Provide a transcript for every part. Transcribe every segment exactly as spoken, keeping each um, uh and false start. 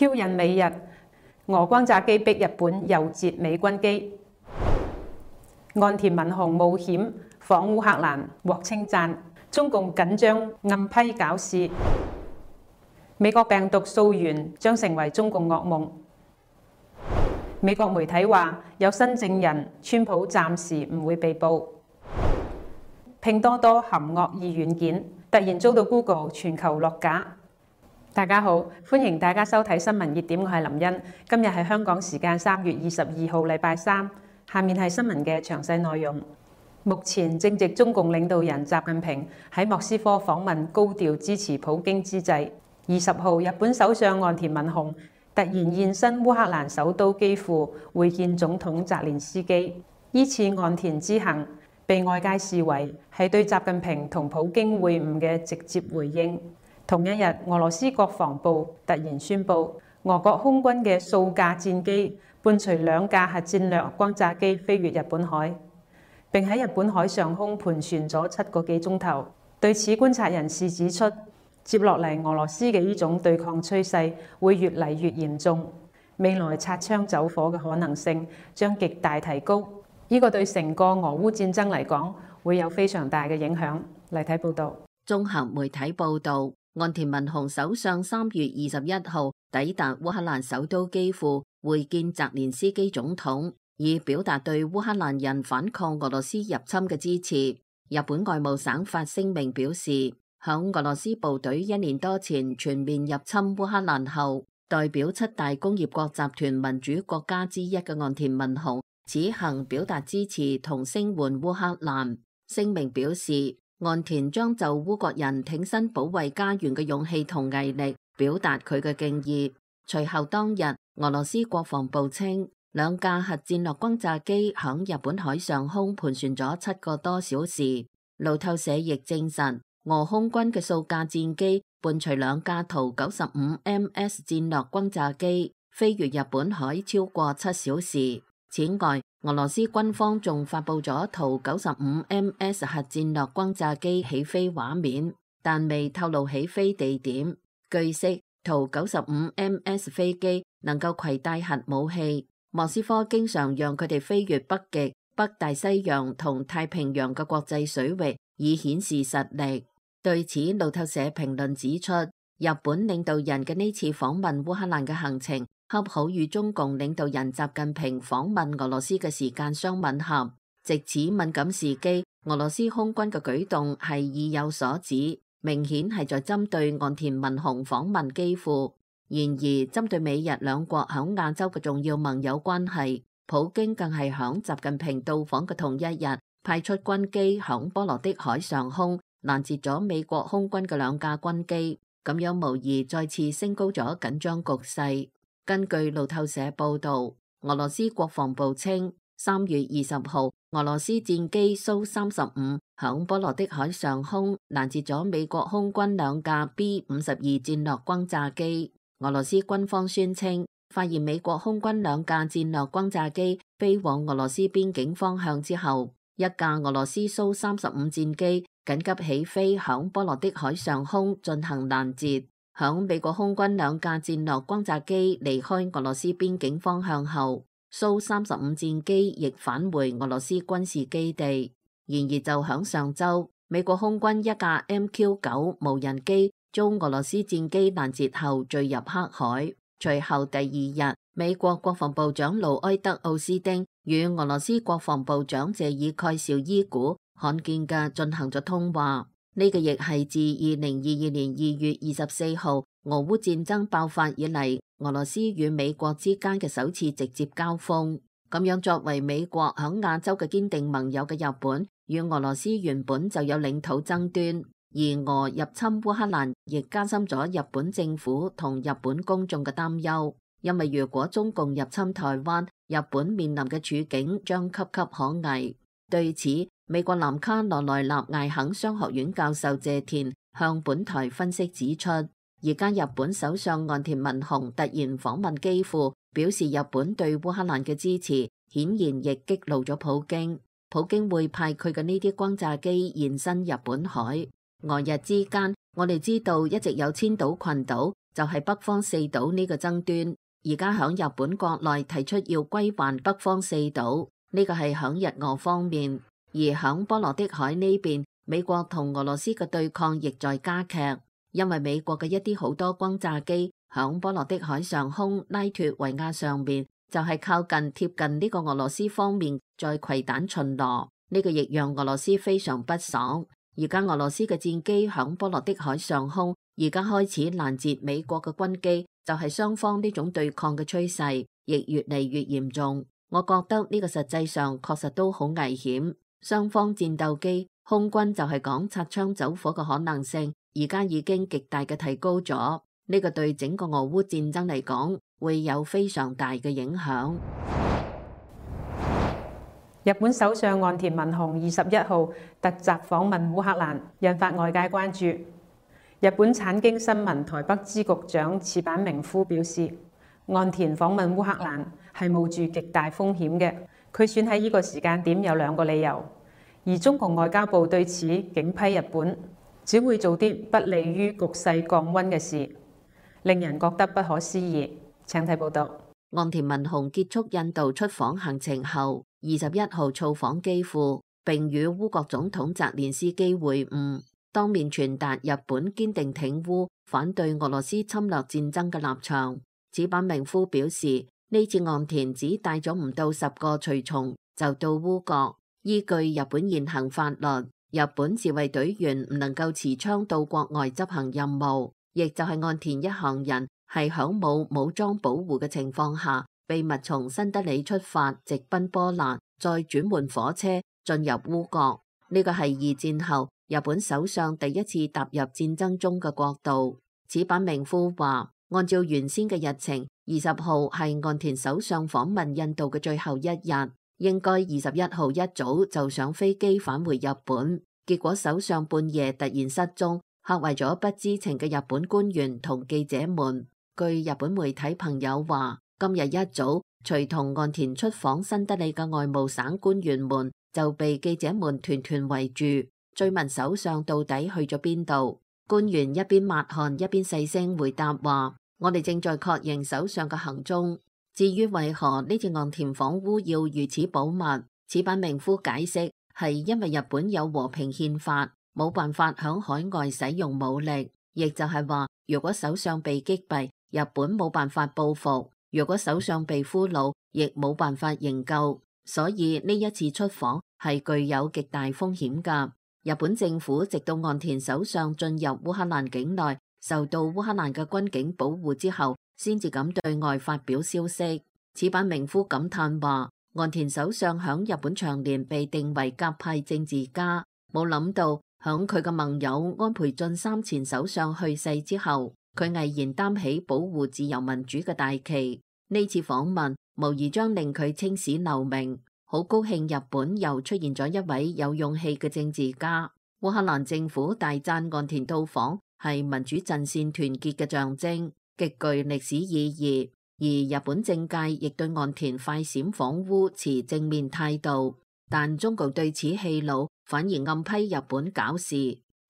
挑釁美日，俄轟炸機逼日本誘截美軍機。岸田文雄冒險訪烏克蘭獲稱讚，中共緊張暗批搞事。美國病毒溯源將成為中共噩夢。美國媒體話有新證人，川普暫時唔會被捕。拼多多含惡意軟件突然遭到 Google 全球落架。大家好，歡迎大家收睇新聞熱點，我係林茵。今日係香港時間三月二十二號，禮拜三。下面係新聞嘅詳細內容。目前正值中共領導人習近平喺莫斯科訪問，高調支持普京之際，二十號日本首相岸田文雄突然現身烏克蘭首都基輔會見總統澤連斯基。依次岸田之行被外界視為係對習近平同普京會晤嘅直接回應。同一日，俄羅斯國防部突然宣布，俄國空軍嘅數架戰機伴隨兩架核戰略轟炸機飛越日本海，並喺日本海上空盤旋咗七個幾鐘頭。對此，觀察人士指出，接落嚟俄羅斯嘅呢種對抗趨勢會越嚟越嚴重，未來擦槍走火嘅可能性將極大提高。呢個對成個俄烏戰爭嚟講會有非常大嘅影響。嚟睇報道。綜合媒體報道，岸田文雄首相三月二十一號抵達烏克蘭首都基輔會見澤連斯基總統，以表達對烏克蘭人反抗俄羅斯入侵嘅支持。日本外務省發聲明表示，響俄羅斯部隊一年多前全面入侵烏克蘭後，代表七大工業國集團民主國家之一嘅岸田文雄此行表達支持同聲援烏克蘭。聲明表示，岸田將就烏國人挺身保衛家園嘅勇氣同毅力表達佢嘅敬意。隨後當日，俄羅斯國防部稱，兩架核戰略轟炸機響日本海上空盤旋咗七個多小時。路透社亦證實，俄空軍嘅數架戰機伴隨兩架圖九十五 M S 戰略轟炸機飛越日本海超過七小時。此外，俄羅斯軍方仲發佈咗圖九十五 M S 核戰略轟炸機起飛畫面，但未透露起飛地點。據悉，圖九十五 M S 飛機能夠攜帶核武器，莫斯科經常讓佢哋飛越北極、北大西洋同太平洋嘅國際水域，以顯示實力。對此，路透社評論指出，日本領導人嘅呢次訪問烏克蘭嘅行程，恰好與中共領導人習近平訪問俄羅斯嘅時間相吻合。藉此敏感時機，俄羅斯空軍嘅舉動係意有所指，明顯係在針對岸田文雄訪問基輔。然而，針對美日兩國響亞洲嘅重要盟友關係，普京更係響習近平到訪嘅同一日，派出軍機響波羅的海上空攔截咗美國空軍嘅兩架軍機，咁樣無疑再次升高咗緊張局勢。根據路透社報道，俄羅斯國防部稱，三月二十號，俄羅斯戰機蘇三十五響波羅的海上空攔截咗美國空軍兩架 B 五十二戰略轟炸機。俄羅斯軍方宣稱，發現美國空軍兩架戰略轟炸機飛往俄羅斯邊境方向之後，一架俄羅斯蘇三十五戰機緊急起飛響波羅的海上空進行攔截。響美國空軍兩架戰略轟炸機離開俄羅斯邊境方向後，蘇三十五戰機亦返回俄羅斯軍事基地。然而就響上周，美國空軍一架 M Q 九無人機遭俄羅斯戰機攔截後墜入黑海。隨後第二日，美國國防部長盧埃德奧斯丁與俄羅斯國防部長謝爾蓋紹伊古罕見嘅進行咗通話。呢個亦係自二零二二年二月二十四號俄烏戰爭爆發以嚟，俄羅斯與美國之間嘅首次直接交鋒。咁樣作為美國響亞洲嘅堅定盟友嘅日本，與俄羅斯原本就有領土爭端，而俄入侵烏克蘭亦加深咗日本政府同日本公眾嘅擔憂。因為如果中共入侵台灣，日本面臨嘅處境將岌岌可危。對此，美國南卡羅來納艾肯商學院教授謝田向本台分析指出，而家日本首相岸田文雄突然訪問基輔，表示日本對烏克蘭嘅支持，顯然亦激怒咗普京。普京會派佢嘅呢啲轟炸機現身日本海。俄日之間，我哋知道一直有千島群島就係北方四島呢個爭端。而家響日本國內提出要歸還北方四島，呢個係響日俄方面。而響波羅的海呢邊，美國同俄羅斯嘅對抗亦在加劇，因為美國嘅一啲好多轟炸機響波羅的海上空拉脫維亞上面，就係靠近貼近呢個俄羅斯方面在攜彈巡邏，呢個亦讓俄羅斯非常不爽。而家俄羅斯嘅戰機響波羅的海上空，而家開始攔截美國嘅軍機，就係雙方呢種對抗嘅趨勢亦越嚟越嚴重。我覺得呢個實際上確實都好危險。雙方戰鬥機空軍就係講擦槍走火嘅可能性，而家已經極大嘅提高咗。呢個對整個俄烏戰爭嚟講會有非常大嘅影響。日本首相岸田文雄二十一號突襲訪問烏克蘭，引發外界關注。日本產經新聞台北支局長矢板明夫表示，岸田訪問烏克蘭係冒住極大風險嘅。佢選喺呢個時間點有兩個理由，而中共外交部對此警批日本只會做啲不利於局勢降溫嘅事，令人覺得不可思議。請睇報道。岸田文雄結束印度出訪行程後，二十一號造訪基輔，並與烏國總統澤連斯基會晤，當面傳達日本堅定挺烏、反對俄羅斯侵略戰爭嘅立場。矢板明夫表示，呢次岸田只帶咗唔到十個隨從就到烏國，依據日本現行法律，日本自衛隊員唔能夠持槍到國外執行任務，亦就係岸田一行人係響冇武裝保護嘅情況下，秘密從新德里出發，直奔波蘭，再轉換火車進入烏國。呢個係二戰後日本首相第一次踏入戰爭中嘅國度。矢板明夫話，按照原先嘅日程，二十號係岸田首相訪問印度嘅最後一日，應該二十一號一早就上飛機返回日本。結果首相半夜突然失蹤，嚇壞咗不知情嘅日本官員同記者們。據日本媒體朋友話，今日一早隨同岸田出訪新德里嘅外務省官員們就被記者們團團圍住，追問首相到底去咗邊度。官員一邊抹汗一邊細聲回答話，我哋正在確認首相嘅行蹤。至於為何呢次岸田訪烏要如此保密，矢板明夫解釋係因為日本有和平憲法，冇辦法響海外使用武力，亦就係話如果首相被擊斃，日本冇辦法報復，如果首相被俘虜，亦冇辦法營救，所以呢一次出訪係具有極大風險㗎。日本政府直到岸田首相進入烏克蘭境內，受到烏克蘭嘅軍警保護之後，先至敢對外發表消息。矢板明夫感嘆話，岸田首相響日本長年被定為鴿派政治家，冇諗到響佢嘅盟友安倍晉三前首相去世之後，佢毅然擔起保護自由民主嘅大旗。呢次訪問無疑將令佢青史留名。好高興日本又出現咗一位有勇氣嘅政治家。烏克蘭政府大讚岸田到訪係民主陣線團結嘅象徵，極具歷史意義。而日本政界亦對岸田快閃訪烏持正面態度，但中共對此氣惱，反而暗批日本搞事。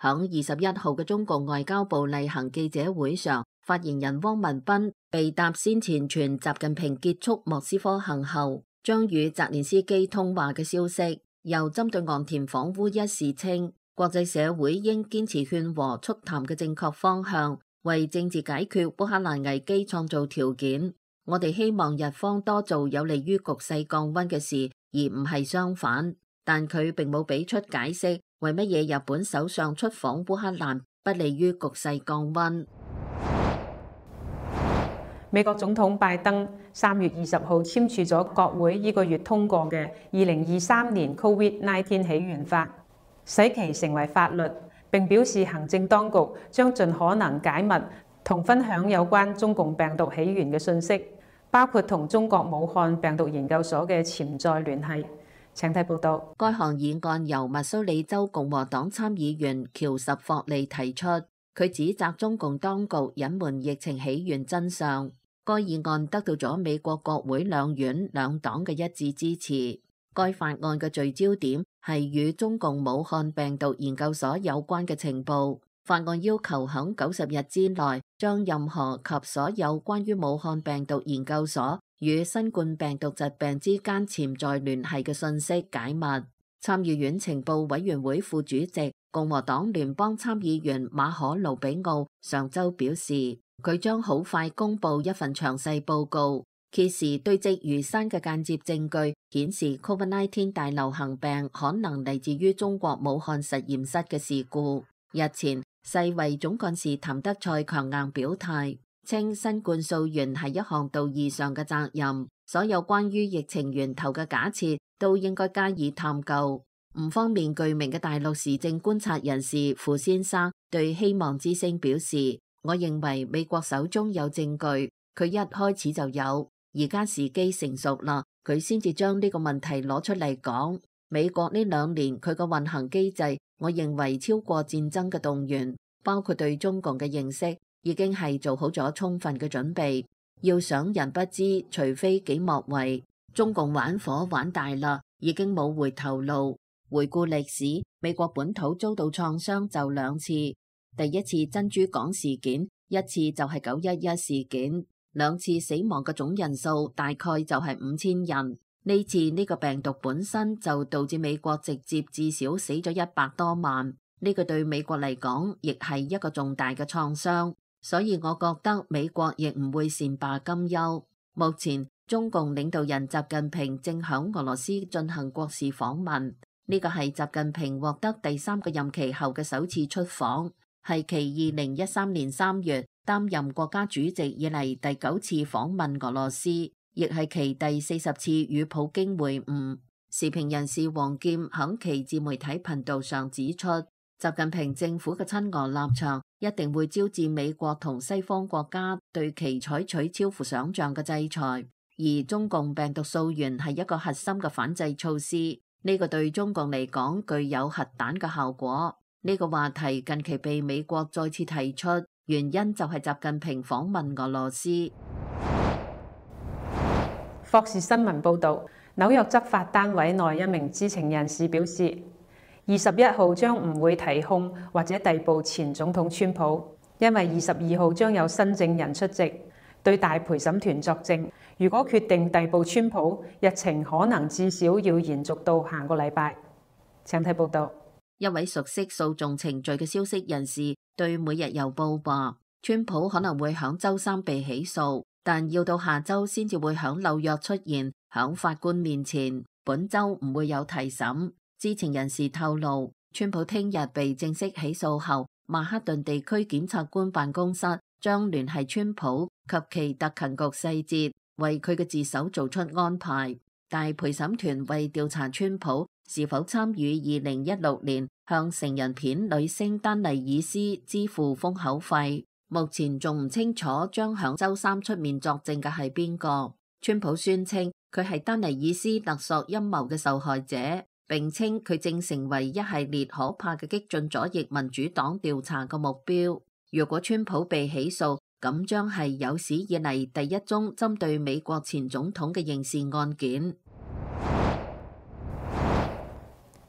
響二十一號嘅中共外交部例行記者會上，發言人汪文斌被答先前傳習近平結束莫斯科行後將與澤連斯基通話嘅消息，又針對岸田訪烏一事稱，國際社會應堅持勸和促談嘅正確方向，為政治解決烏克蘭危機創造條件。我哋希望日方多做有利於局勢降溫嘅事，而唔係相反。但佢並冇俾出解釋，為乜嘢日本首相出訪烏克蘭不利於局勢降溫。美國總統拜登三月二十號簽署咗國會呢個月通過嘅二零二三年 Covid 十九 起源法，使其成為法律，並表示行政當局將盡可能解密同分享有關中共病毒起源嘅信息，包括同中國武漢病毒研究所嘅潛在聯繫。請睇報道。該項議案由密蘇里州共和黨參議員喬什霍利提出，佢指責中共當局隱瞞疫情起源真相。該議案得到咗美國國會兩院兩黨嘅一致支持。該法案嘅聚焦點係與中共武漢病毒研究所有關嘅情報，法案要求響九十日之內將任何及所有關於武漢病毒研究所與新冠病毒疾病之間潛在聯繫嘅信息解密。參議院情報委員會副主席共和黨聯邦參議員馬可盧比奧上週表示，佢將好快公佈一份詳細報告，揭示堆積如山嘅間接證據，顯示 COVID 十九 大流行病可能嚟自於中國武漢實驗室嘅事故。日前，世衛總幹事譚德塞強硬表態，稱新冠溯源係一項道義上嘅責任，所有關於疫情源頭嘅假設都應該加以探究。唔方面具名嘅大陸時政觀察人士傅先生對希望之聲表示，我認為美國手中有證據，佢一開始就有，而家時機成熟啦，佢先至將呢個問題攞出嚟講。美國呢兩年佢個運行機制，我認為超過戰爭嘅動員，包括對中共嘅認識，已經係做好咗充分嘅準備。要想人不知，除非己莫為。中共玩火玩大啦，已經冇回頭路。回顧歷史，美國本土遭到創傷就兩次，第一次珍珠港事件，一次就係九一一事件，兩次死亡嘅總人數大概就係五千人。呢次呢個病毒本身就導致美國直接至少死咗一百多萬，呢個對美國嚟講亦係一個重大嘅創傷，所以我覺得美國亦唔會善罷甘休。目前中共領導人習近平正響俄羅斯進行國事訪問，呢個係習近平獲得第三個任期後嘅首次出訪，係其二零一三年三月擔任國家主席以嚟第九次訪問俄羅斯，亦係其第四十次與普京會晤。時評人士王劍響其自媒體頻道上指出，習近平政府嘅親俄立場一定會招致美國同西方國家對其採取超乎想象嘅制裁，而中共病毒溯源係一個核心嘅反制措施，呢個對中共嚟講具有核彈嘅效果。呢個話題近期被美國再次提出，原因就係習近平訪問俄羅斯。霍士新聞報導，紐約執法單位內一名知情人士表示，二十一號將唔會提控或者逮捕前總統川普，因為二十二號將有新證人出席對大陪審團作證。如果決定逮捕川普，日程可能至少要延續到下個禮拜。請睇報導。一位熟悉訴訟程序嘅消息人士對每日郵報話，川普可能會響週三被起訴，但要到下週先至會響紐約出現，響法官面前。本週唔會有提審。知情人士透露，川普聽日被正式起訴後，曼克頓地區檢察官辦公室將聯繫川普及其特勤局細節，為佢嘅自首做出安排。大陪審團為調查川普是否參與二零一六年向成人片女星丹妮爾斯支付封口費，目前仲唔清楚將響週三出面作證嘅係邊個。川普宣稱佢係丹妮爾斯勒索陰謀嘅受害者，並稱佢正成為一系列可怕嘅激進左翼民主黨調查嘅目標。如果川普被起訴，咁將係有史以嚟第一宗針對美國前總統嘅刑事案件。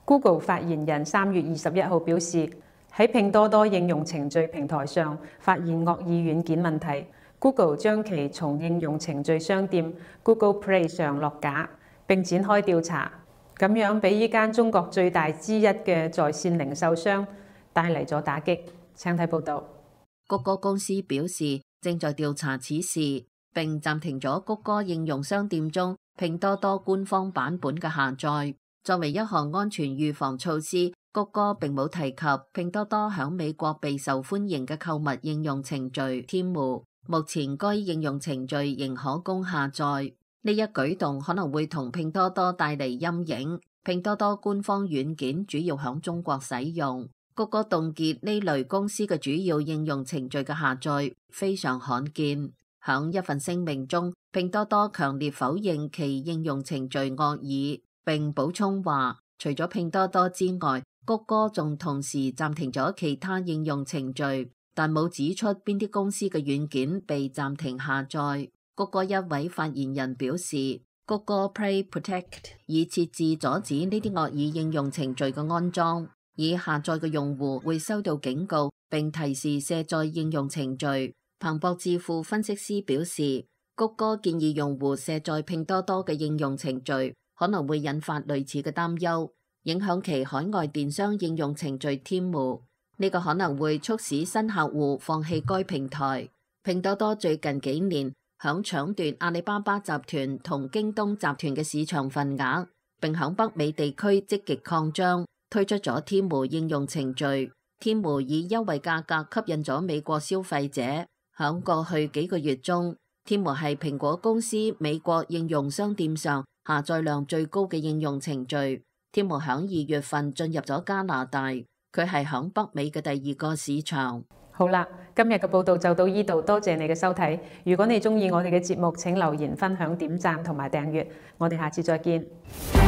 Google 發言人三月二十一號表示，喺拼多多應用程序平台上發現惡意軟件問題， Google 將其從應用程序商店 Google Play 上落架，並展開調查，咁樣俾呢間中國最大之一嘅在線零售商帶嚟咗打擊。請睇報導。谷歌公司表示正在調查此事，並暫停咗谷歌應用商店中拼多多官方版本嘅下載。作為一項安全預防措施，谷歌並冇提及拼多多響美國備受歡迎嘅購物應用程序天貓。目前該應用程序仍可供下載。呢一舉動可能會同拼多多帶嚟陰影。拼多多官方軟件主要響中國使用。谷歌凍結呢類公司嘅主要應用程序嘅下載非常罕見。響一份聲明中，拼多多強烈否認其應用程序惡意，並補充話，除咗拼多多之外，谷歌仲同時暫停咗其他應用程序，但冇指出邊啲公司嘅軟件被暫停下載。谷歌一位發言人表示，谷歌 Play Protect 已設置阻止呢啲惡意應用程序嘅安裝，已下載嘅用戶會收到警告，並提示卸載應用程序。彭博智庫分析師表示，谷歌建議用戶卸載拼多多嘅應用程序，可能會引發類似嘅擔憂，影響其海外電商應用程序 Temu。呢個可能會促使新客戶放棄該平台。拼多多最近幾年響搶奪阿里巴巴集團同京東集團嘅市場份額，並響北美地區積極擴張，推出咗 Temu 應用程序。Temu 以優惠價格吸引咗美國消費者。響過去幾個月中，Temu係蘋果公司美國應用商店上下載量最高嘅應用程序。Temu 響二月份進入咗加拿大，佢係響北美嘅第二個市場。好啦，今日嘅報道就到呢度，多謝你嘅收睇。如果你中意我哋嘅節目，請留言、分享、點讚同埋訂閱。我哋下次再見。